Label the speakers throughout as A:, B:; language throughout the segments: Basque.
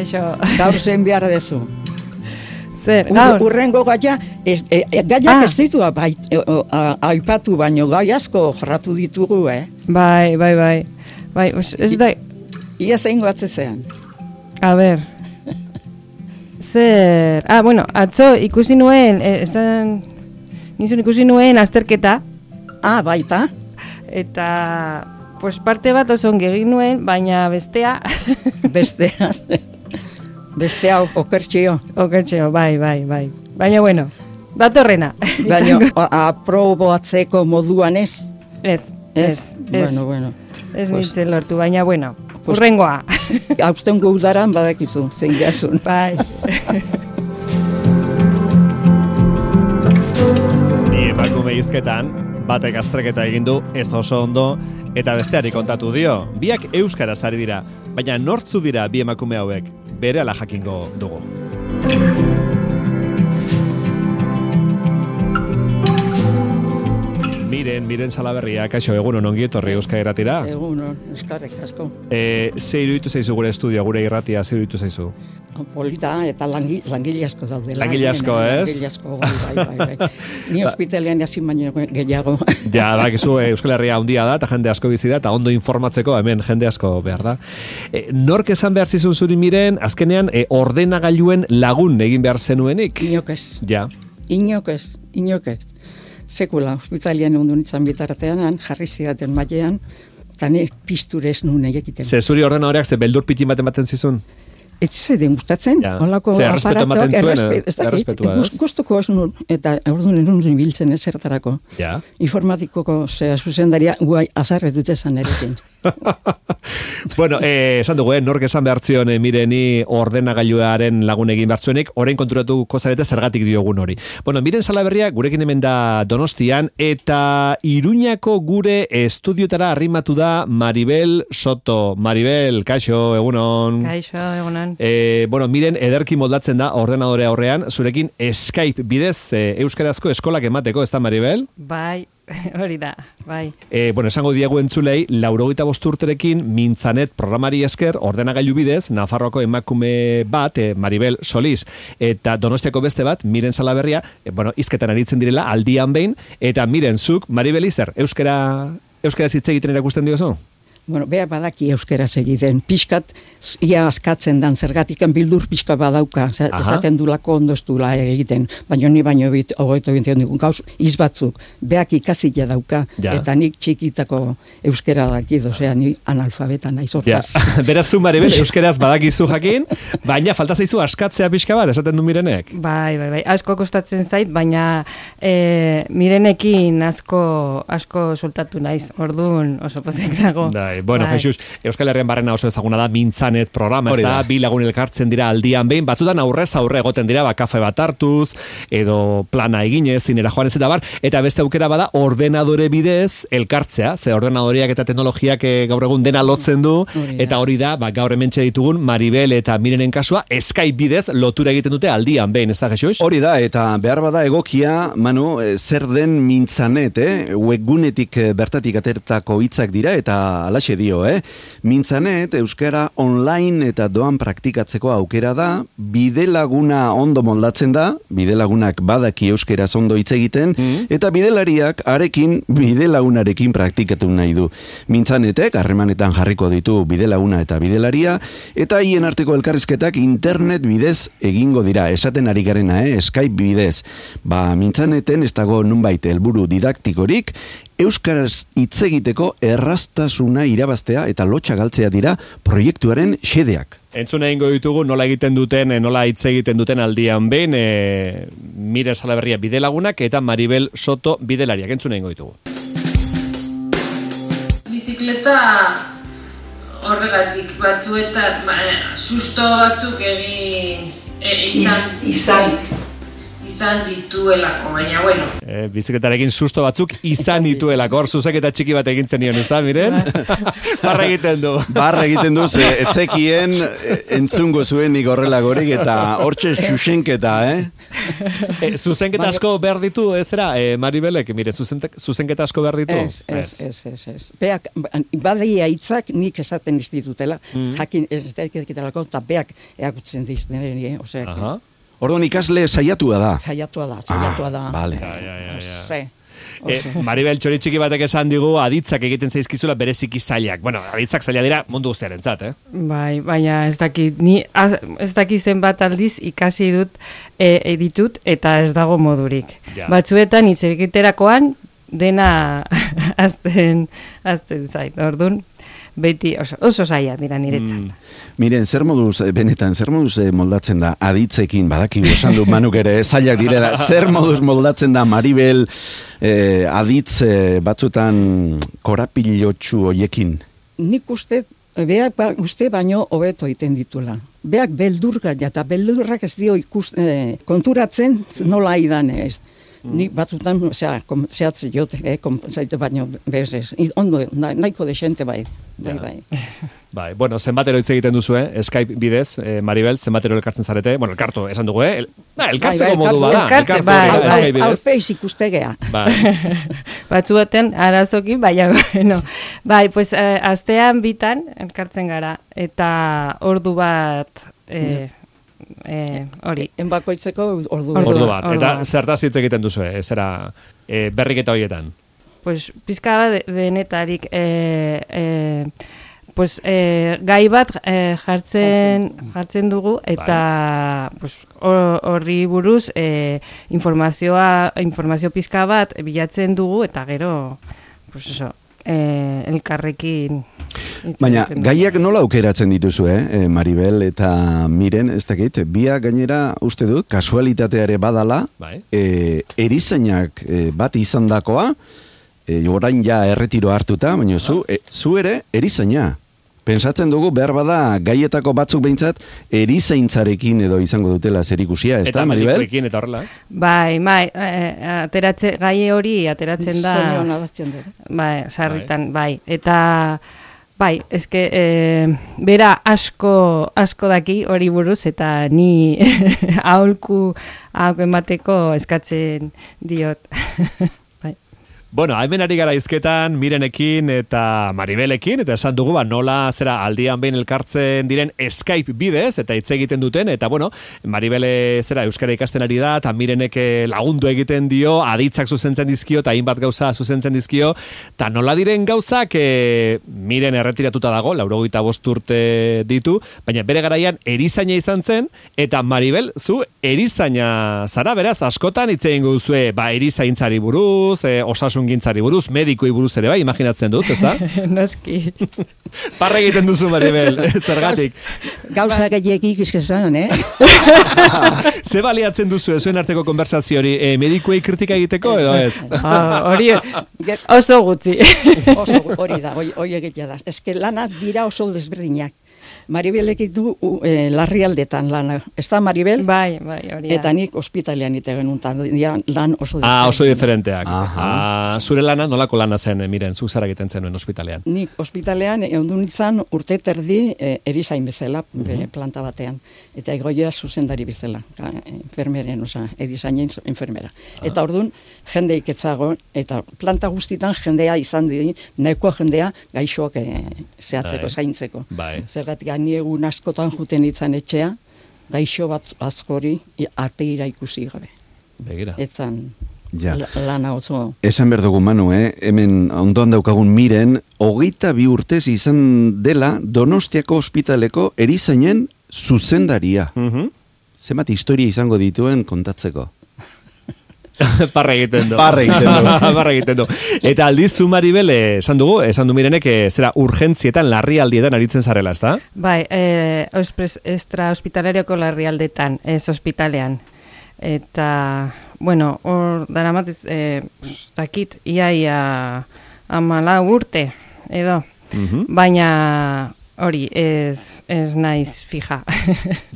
A: Kaixo.
B: Gaur zein behar dezu.
A: Zer, gaur?
B: Urrengo gaiak ez ditu aipatu, baino gai asko jorratu ditugu,
A: Bai, ez da...
B: Ia zein goatzezean.
A: A ber... Zer... bueno, atzo ikusi nuen, ikusi nuen azterketa.
B: Baita?
A: Eta... Pues parte bat oso ongi egin nuen, baina bestea...
B: Bestea okertxio.
A: Okertxio, bai. Baina, bueno, datorrena.
B: Baina, aprobatzeko moduan ez?
A: Ez.
B: Bueno.
A: Ez nintzen lortu, baina, bueno, urrengoa.
B: Hauztengo udaran badakizu, zein gazun.
A: Bai.
C: Ni emakume hizketan, batek azterketa egin du, ez oso ondo, eta besteari kontatu dio. Biak euskaraz ari dira, baina nortzu dira bi emakume hauek, berehala jakingo dugu. Miren Salaberria, kaixo, egunon ongi etorri Euskal Irratira.
B: Egunon, eskarrik asko.
C: Ze iruditu zaizu gure estudio, gure irratia, ze iruditu zaizu?
B: Polita eta langile asko daude.
C: Langile asko, ez?
B: Langile asko, bai. Ni ospitalean hasi baino gehiago.
C: Ja, bakizu Euskal Herria handia da, eta jende asko bizi da, eta ondo informatzeko hemen jende asko behar da. Nork esan behar zizun zuri Miren, azkenean ordenagailuen lagun egin behar zenuenik?
B: Inok ez.
C: Ja.
B: Inok ez. Sekula, ospitalian ondo nintzen bitartean, jarri zidaten mailean, eta nik pisturez nuen egiten.
C: Ze zuri ordenadoreak ze beldur pitin baten zizun?
B: Ez zeden gustatzen, holako
C: aparatuak, errespetua, ez?
B: Gustuko ez nuen, eta orduan nuen biltzen ezertarako.
C: Ja.
B: Informatikoko zuzendaria guai azarre dute zan erekin.
C: Bueno, esan dugu, nork esan behar zion Mireni ordenagailuaren lagun egin behar zuenik, orain konturatuko zarete zergatik diogun hori. Bueno, Miren Salaberria gurekin hemen da Donostian, eta Iruñako gure estudiotara arrimatu da Maribel Soto. Maribel, kaixo, egunon.
A: Kaixo, egunon.
C: Bueno, Miren ederki moldatzen da ordenadore aurrean, zurekin Skype bidez euskarazko eskolak emateko, ez da Maribel?
A: Bai. Hori da, bai.
C: Bueno, esango diegu entzulei, 85 urterekin Mintzanet programari esker ordenagailu bidez, Nafarroako emakume bat, Maribel Soliz, eta Donostiako beste bat, Miren Salaberria, hizketan aritzen direla, aldian behin, eta Miren, zuk, Maribel izer, euskaraz hitz egiten erakusten diozu?
B: Bueno, beha badaki euskaraz egiten. Pixkat, ia askatzen dan zergatikan bildur pixka badauka. Ezaten dulako ondoztula egiten. Baina ni baino hogeito egiten dugun gauz, izbatzuk. Beak ikasila dauka. Ja. Eta nik txikitako euskara dakit, osea, ni analfabeta naiz hortaz.
C: Ja. Beraz zu, Maribel, euskaraz badakizu jakin, baina falta zaizu askatzea pixka bat, esaten du Mirenek.
A: Bai. Asko kostatzen zait, baina Mirenekin asko soltatu naiz. Orduan oso pozik nago.
C: Bueno, Jesus, Euskal Herrian barrena oso ezaguna da Mintzanet programa, ez da, bi lagun elkartzen dira aldian behin, batzutan aurrez aurre egoten dira, kafe bat hartuz, edo plana eginez, zinera joan ez eta bar, eta beste aukera bada ordenadore bidez elkartzea, ze ordenadoreak eta teknologiak gaur egun dena lotzen du, eta hori da, gaur hementxe ditugun Maribel eta Mirenen kasua, Skype bidez lotura egiten dute aldian behin, ez da, Jesus?
D: Hori da, eta behar bada egokia, Manu, zer den Mintzanet, webgunetik bertatik atertako hitzak dira, eta alaxe dio, Mintzanet, euskara online eta doan praktikatzeko aukera da, bidelaguna ondo moldatzen da, bidelagunak badaki euskaraz ondo hitz egiten, eta bidelariak arekin bidelagunarekin praktikatu nahi du. Mintzanetek harremanetan jarriko ditu bidelaguna eta bidelaria, eta hien arteko elkarrizketak internet bidez egingo dira, esaten ari garena, Skype bidez. Mintzaneten ez dago nunbait helburu didaktikorik, euskaraz hitz egiteko erraztasuna irabaztea eta lotxa galtzea dira proiektuaren xedeak.
C: Entzuna egingo ditugu nola egiten duten, nola hitz egiten duten aldian behin, Miren Salaberria bidelagunak eta Maribel Soto bidelariak. Entzuna egingo ditugu.
E: Bizikleta horregatik batzuetan susto batzuk izan izan dituelako, baina bueno.
C: Bizikletarekin susto batzuk izan dituelako, hor zuzenketa txiki bat egin zenion, ez da, miren? Barra egiten du.
D: Barra egiten du, etzekien entzungo zuen nik horrelagorik, eta hortxe zuzenketa,
C: Zuzenketa asko behar ditu, ez era, Maribelek, mire, zuzenketa asko behar ditu?
B: Ez. Beak, badia hitzak nik esaten institutela, jakin ez daiketelako, eta beak eakutzen dizten, osea.
D: Orduan ikasle saiatua da.
B: Saiatua da.
D: Vale.
C: Maribel txoritxiki batek esan digu aditzak egiten zaizkizula bereziki zailak. Bueno, aditzak zaila dira mundu guztiarentzat,
A: Bai, baina ez dakit zenbat aldiz ikasi dut ditut eta ez dago modurik.
C: Ja.
A: Batzuetan hitz egiterakoan dena azten zait. Orduan beti oso zaila dira niretzat.
D: Miren, zer moduz moldatzen da aditzekin, badaki esan du Manuk ere, zailak direla, zer moduz moldatzen da Maribel aditz batzutan korapilotxu hoiekin?
B: Nik uste, beak uste baino hobeto egiten ditula. Beak beldurrak, eta beldurrak ez dio konturatzen nola idan ez. Nik batzutan, zehatze jote, konpentzaitu baino bez. Ondo, nahiko desente bai.
C: Bai, bueno, zenbatero hitz egiten duzu, Skype bidez, Maribel, zenbatero elkartzen zarete, bueno, elkartu, esan dugu, elkartzeko modu bada,
A: Skype
B: bidez. Alpeiz ikustegea.
A: Batzuetan arazokin, baina, bueno, bai, pues, astean bitan elkartzen gara, eta ordu bat, hori.
B: Enbakoitzeko ordu
C: bat. Eta zertaz hitz egiten duzu, zera berriketa horietan?
A: Pues, pizka denetarik, pues, gai bat jartzen dugu, eta pues, horri buruz informazio pizka bat bilatzen dugu, eta gero, pues eso, elkarrekin.
D: Baina, gaiak nola aukeratzen dituzu, Maribel eta Miren, ez dakit, biak gainera uste dut, kasualitateare badala, erizainak bat izandakoa, orain ja erretiro hartuta, baina zu ere erizaina. Pentsatzen dugu behar bada gaietako batzuk behintzat erizaintzarekin edo izango dutela zerikusia, ez da, Maribel?
C: Eta medikoekin eta horrela, ez?
A: Bai, gai hori ateratzen da.
B: Zonion abatzen dira.
A: Bai, sarritan, bai. Eta, bai, eske, bera asko daki hori buruz, eta ni aholku emateko eskatzen diot.
C: Bueno, hemen ari gara izketan Mirenekin eta Maribelekin, eta esan dugu, nola zera aldian behin elkartzen diren Skype bidez, eta hitz egiten duten, eta bueno, Maribele zera euskara ikasten ari da, eta Mirenek lagundu egiten dio, aditzak zuzentzen dizkio, eta hainbat gauza zuzentzen dizkio, eta nola diren gauzak, Miren erretiratuta dago, 85 urte ditu, baina bere garaian erizaina izan zen, eta Maribel, zu erizaina zara, beraz, askotan hitz egingo duzue, erizaintzari buruz, osasungintzari buruz, medikoi buruz ere bai, imaginatzen dut, ez da?
A: Noski.
C: Parra egiten duzu, Maribel, zergatik.
B: Gauza gehiagik izkezan,
C: Ze baliatzen duzu, zuen arteko konversazio hori, medikuei kritika egiteko, edo ez?
A: Hori, oso gutxi.
B: Hori da, hori egitea da. Ez que lanak dira oso desberdinak. Maribelek du larrialdetan lana. Ez da, Maribel?
A: Bai, hori.
B: Eta nik ospitalean ite genuntan, lan oso diferenteak.
C: Oso diferenteak. Zure lana, nolako lana zen, Miren, zu zara egiten zenuen ospitalean?
B: Nik ospitalean egon nintzen urte terdi erizain bezala, planta batean. Eta egoia zuzendari bezala, enfermeren, erizainen enfermera. Eta orduan, jende iketzago, eta planta guztitan jendea izan di, nahikoa jendea gaixoak zehatzeko, zaintzeko. Zergatik, ni egun askotan juten itzan etxea, gaixo bat askori arpegira ikusi gabe.
C: Begira.
B: Etzan lana oso.
D: Esan behar dugu, Manu, hemen ondoan daukagun Miren, 22 urtez izan dela Donostiako ospitaleko erizainen zuzendaria. Zenbat historia izango dituen kontatzeko.
C: Parra egiten du. Eta aldiz zu, Maribel, esan du Mirenek, zera urgentzietan, larrialdietan aritzen zarela, ez da?
A: Bai, extra hospitalarioko larrialdetan, ez hospitalean. Eta, bueno, hor daramat, dakit, iaia 14 urte, edo. Baina hori, ez naiz fija.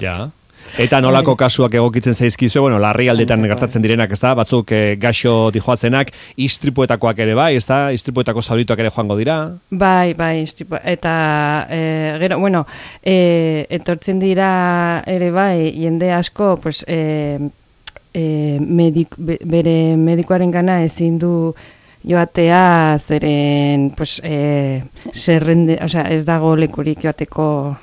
C: Ja. Eta nolako kasuak egokitzen zaizkizue, bueno, larrialdetan gertatzen direnak, ezta? Batzuk gaixo dijoatzenak, istripuetakoak ere bai, ezta? Istripuetako zaurituak ere joango dira?
A: Bai, istripu. Eta gero, bueno, etortzen dira ere bai, jende asko, pues, bere medikoaren gana ezin du joatea, zeren, pues, ez dago lekurik joateko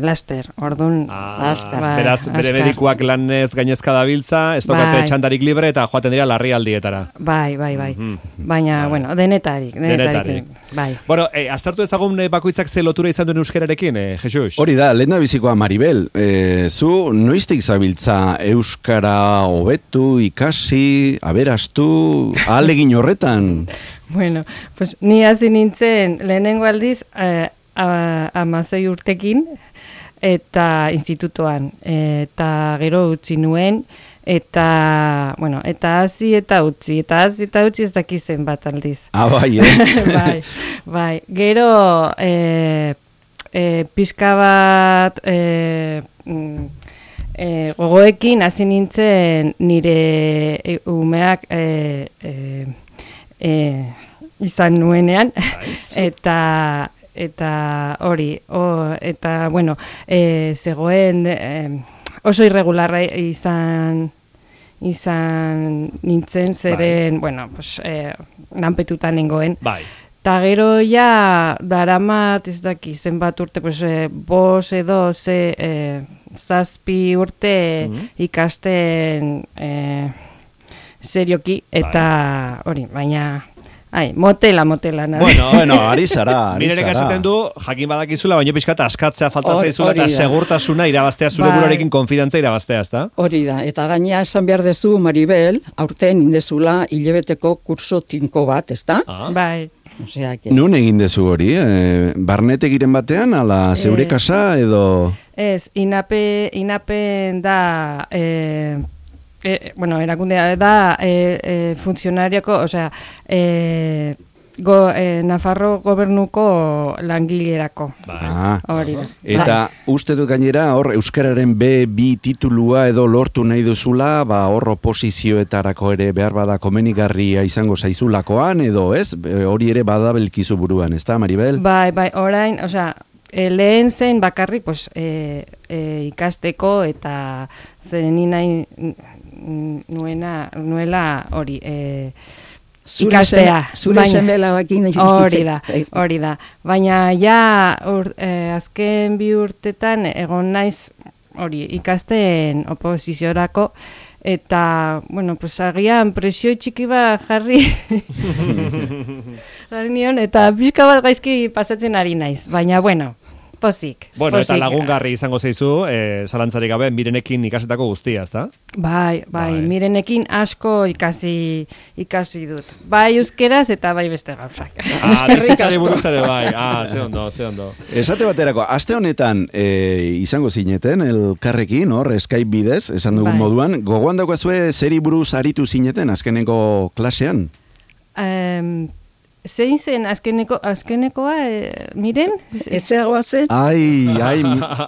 A: laster, orduan...
C: Beraz, bere medikuak lanez gainezka dabiltza, ez dokate txandarik libre eta joaten dira larrialdietara.
A: Bai. Baina, bueno, denetarik. Bai.
C: Bueno, aztertu ezagun bakoitzak ze lotura izan duen euskararekin, Jesus?
D: Hori da, lehen da bizikoa Maribel, zu noiztik zabiltza euskara hobetu, ikasi, aberastu, ahalegin horretan?
A: Bueno, pues ni hasi nintzen lehenengo aldiz, 16 urtekin eta institutoan eta gero utzi nuen eta bueno, eta hasi eta utzi ez dakizen bat aldiz.
D: Bai,
A: bai. Gero pixka bat gogoekin hasi nintzen nire umeak izan nuenean eta hori, eta bueno, zegoen oso irregularra izan nintzen, zeren, bueno, pues, lanpetutan nengoen.
C: Bai.
A: Ta gero ja daramat ez daki zenbat urte, pues, 5 edo 7 urte ikasten serioki, eta hori, baina... motela.
D: Bueno, ari zara.
C: Mirerek esaten du, jakin badakizula, baina pixkat askatzea falta zaizula eta segurtasuna irabaztea, zure buruarekin konfidantza irabaztea, ezta?
B: Hori da, eta gaina esan behar dezu, Maribel, aurten indezula hilabeteko kurso tinko bat, ezta?
A: Bai.
D: Nun egin dezu hori, barnetegiren batean, ala zeure kasa edo...
A: Ez, inapen da... bueno, erakundea da funtzionariako, osea, Nafarro gobernuko langilerako. Hori da.
D: Eta uste dut gainera, hor euskararen B2 titulua edo lortu nahi duzula, hor oposizioetarako ere behar bada komenigarria izango zaizulakoan, edo ez? Hori ere badabelkizu buruan, ez da, Maribel?
A: Bai, orain, osea, lehen zen bakarrik, pues, ikasteko eta zen nahi nuela hori ikastea.
B: Zure zenbela bakin
A: hori da. Baina ja azken 2 urtetan egon naiz hori ikasten oposiziorako eta, bueno, pues agian presio txiki bat jarri nion eta pixka bat gaizki pasatzen ari naiz. Baina, bueno, pozik.
C: Bueno, eta lagungarri izango zeizu, zalantzarik gabe, Mirenekin ikasetako guztia, ezta?
A: Bai, Mirenekin asko ikasi dut. Bai euskeraz eta bai beste gauzak.
C: Bizitzari buruz ere bai. Ze ondo.
D: Esate baterako, aste honetan izango zineten, elkarrekin, hor, Skype bidez, esan dugun moduan, gogoan daukazue zeri buruz aritu zineten azkeneko klasean?
A: Zein zen azkenekoa, Miren?
B: Etzeagoa zen?
D: Ai,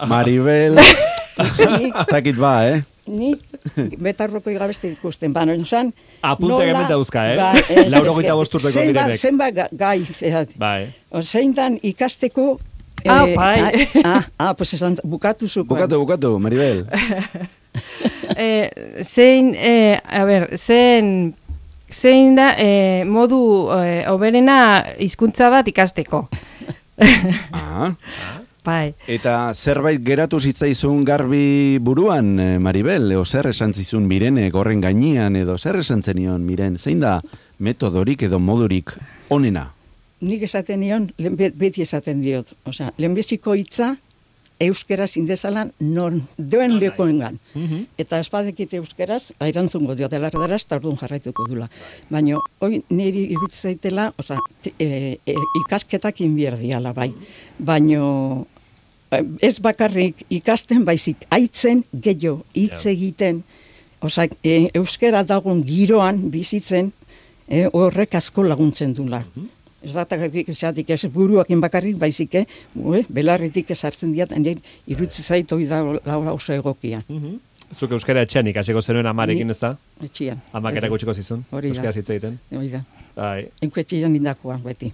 D: Maribel, ez dakit ba,
B: Nik betarroko igabeste ikusten, baina esan...
C: Apunte hemen dauzka, 85 urteko Mirenek.
B: Zenba gai,
C: bai.
B: Zein dan ikasteko...
A: Bai.
B: Pues esan, bukatu zuko.
D: Bukatu, Maribel.
A: Zein da modu hoberena hizkuntza bat ikasteko. Bai.
D: Eta zerbait geratu zitzaizun garbi buruan, Maribel? Zer esan zizun Mirenek horren gainean, edo zer esan zenion, Miren? Zein da metodorik edo modurik onena?
B: Nik esaten nion, beti esaten diot. Osea, lehenbiziko hitza euskeraz indezalan non duen lekoengan. Eta espadekit euskeraz, airantzungo diot elardaraz, eta orduan jarraituko dula. Baina, hoi niri irutzaitela, osea, ikasketak inbierdiala bai. Baina, ez bakarrik ikasten, baizik, aitzen gehiago, hitz egiten, osea, euskera dagoen giroan bizitzen, horrek asko laguntzen dula. Ez batak esatik ez buruakin bakarrik, baizik, belarritik ezartzen diat, irutzi zait hori da laura oso egokia.
C: Zuk euskara etxean ikasiko zenuen amarekin, ez da?
B: Etxean.
C: Amak erakutsiko zizun, euskara hitz egiten.
B: Hori da.
C: Bai.
B: Enkuetxean nindakoa, beti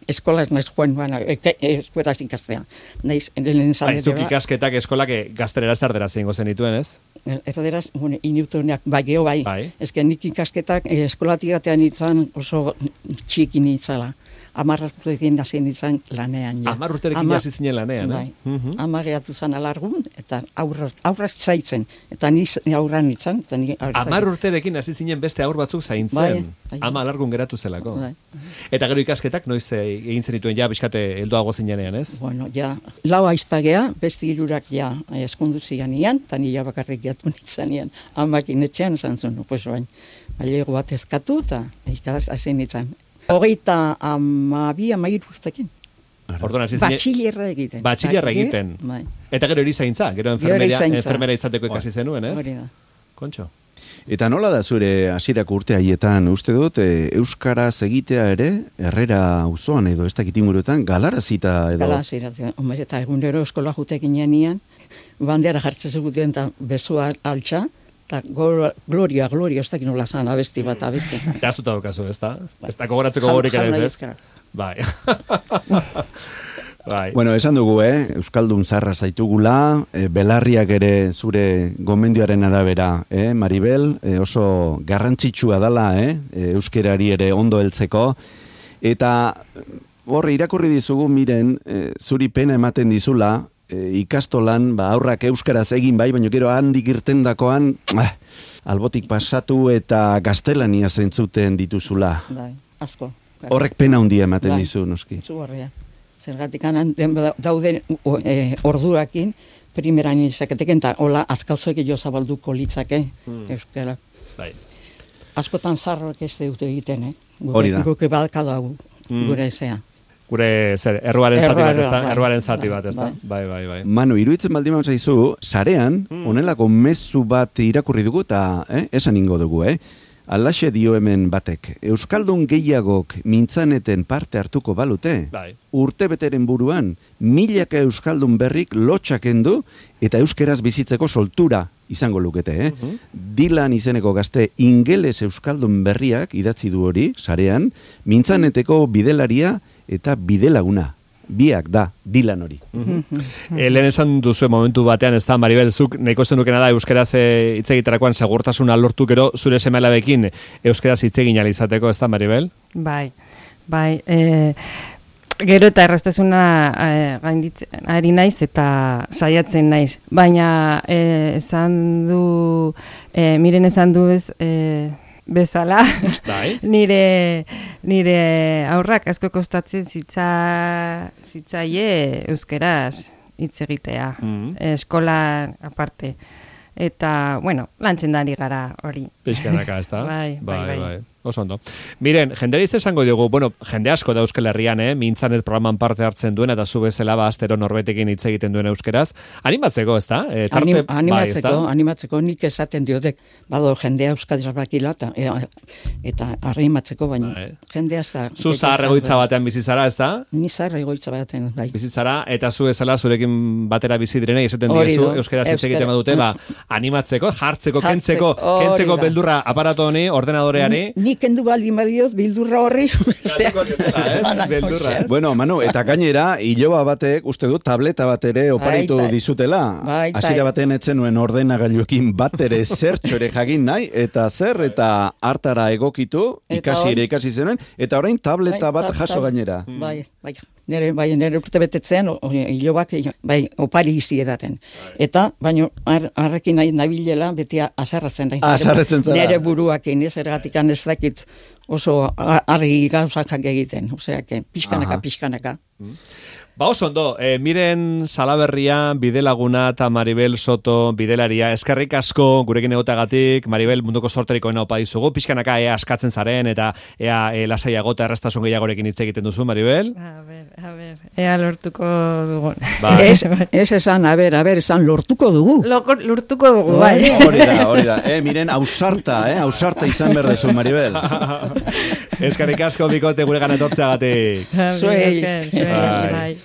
B: eskola ez naiz joan, eskueraz ikastea.
C: Zuk ikasketak eskolak gaztereraz tarderaz egingo zenituen, ez?
B: Erderaz, inutuneak, bai, geho bai. Ez nik ikasketak eskolatik gatean itzan oso txiki nintzala. 10 urterekin hasi nintzen lanean.
C: 10 urterekin hasi zinen lanean,
B: bai. 10 geratu zen alargun, eta aurraz zaitzen. Eta ni aurran nintzen.
C: 10 urterekin hasi zinen beste aur batzuk zaintzen. 10 alargun geratu zelako. Eta gero ikasketak noiz egin zenituen ja, bizkate helduago zinenean, ez?
B: Bueno, ja, lau aizpagea, beste hirurak ja eskondu zianian, eta ni ja bakarrik jatu nintzanean. Amakin etxean zantzun, pues bain, bailego bat ezkatu, eta ikaz hasi nintzen. 32 urtekin. Batxillerra egiten.
C: Batxillerra egiten. Eta gero erizaintza, gero enfermera izateko ikasi zenuen, ez?
B: Hori da.
C: Kontxo.
D: Eta nola da zure hasierako urte haietan, uste dut, euskaraz egitea ere, Herrera auzoan edo ez dakit inguruetan, galarazita edo?
B: Galarazita, eta egunero eskola jutekin janian, bandera jartzen zeguten eta bezua altxa, eta gloria, ez dakit nola zan, abesti bat.
C: Eta azuta daukazu, ez da? Ez da kogoratzeko gorik ere ez? Bai. Bai.
D: Bueno, esan dugu, Euskaldun zarra zaitugula, belarriak ere zure gomendioaren arabera, Maribel, oso garrantzitsua dala, euskerari ere ondo heltzeko, eta horre irakurri dizugu, miren, zuri pena ematen dizula, ikastolan, aurrak euskaraz egin bai, baina gero handik irtendakoan, albotik pasatu eta gaztelania zentzuten dituzula.
B: Bai, asko.
D: Horrek pena handia ematen dizu, noski.
B: Zugarria. Zergatik dauden ordurakin, primeran izaketeken, eta hola azkalzoek jo zabalduko litzake, euskara.
C: Bai.
B: Askotan zarroak ez dute egiten,
D: Hori da.
B: Guke balka dago, gure ezea.
C: Gure, erruaren zati bat, ez da? Erruaren zati bat, ez da? Bai.
D: Manu, iruditzen baldin bat zaizu, sarean, onelako mezu bat irakurri dugu, eta esan ingo dugu, Alaxe dio hemen batek, Euskaldun gehiagok mintzaneten parte hartuko balute, urtebeteren buruan, milaka Euskaldun berrik lotxak endu, eta euskeraz bizitzeko soltura izango lukete, Dilan izeneko gazte ingeles Euskaldun berriak idatzi du hori, sarean, mintzaneteko bidelaria eta bidelaguna. Biak da, Dilan hori.
C: Lehen esan duzu momentu batean, ez da, Maribel, zuk nahiko zenukena da euskeraz hitz egiterakoan segurtasuna lortu gero zure seme-alabekin euskeraz hitz egin ahal izateko, ez da, Maribel?
A: Bai. Gero eta erraztasuna gainditzen ari naiz eta saiatzen naiz. Baina miren esan du bezala, nire aurrak asko kostatzen zitzaie euskeraz hitz egitea, eskola aparte. Eta, lantzen dari gara hori.
C: Pixkanaka, ez da?
A: Bai.
C: Oso ondo. Miren, jendera esango diogu, jende asko da Euskal Herrian, Mintzanet programan parte hartzen duen, eta zu bezala astero norbetekin hitz egiten duen euskeraz. Animatzeko, ez da?
B: Animatzeko, nik esaten diotek, bado jendea euskadiz bakila, eta animatzeko, baina jendea ez da...
C: Zu zahar egoitza batean bizizara, ez da?
B: Ni zahar egoitza batean, bai.
C: Bizizara, eta zu bezala zurekin batera bizi direnei esaten diezu, euskeraz hitz egiten badute, animatzeko, jartzeko, kentzeko beldurra aparato honi, ordenadoreari.
B: Nik kendu baldin badioz, bildurra horri.
C: Beldurra, ez?
D: Bueno, Manu, eta gainera, iloba batek, uste du, tableta bat ere oparitu dizutela. Hasiera batean etzen nuen ordenagailuekin bat ere zertxo ere jagin nahi, eta hartara egokitu, ikasi zenuen, eta orain tableta bat jaso gainera.
B: Nire urte betetzean, hilobak, opari izi edaten. Eta, baina, harrekin nabilela, beti azarratzen da.
D: Azarratzen zara.
B: Nire buruakin, ergatik ez dakit oso argi gauzak egiten. Osea, pixkanaka.
C: Ba, oso ondo, Miren Salaberria, Bidelaguna eta Maribel Soto, bidelaria, eskerrik asko gurekin egotagatik, Maribel munduko sorteriko opa dizugu, pixkanaka ea askatzen zaren, eta ea lasaiago eta errastasun gehiagorekin hitz egiten duzu, Maribel?
A: A ber, ea lortuko dugun.
B: Ez esan, a ber, esan lortuko dugu.
A: Lortuko dugu, bai.
D: Hori da, miren, ausarta izan behar dezu, Maribel.
C: Eskerrik asko bikote gure gana etortzeagatik.
B: Zuei.
A: Bai.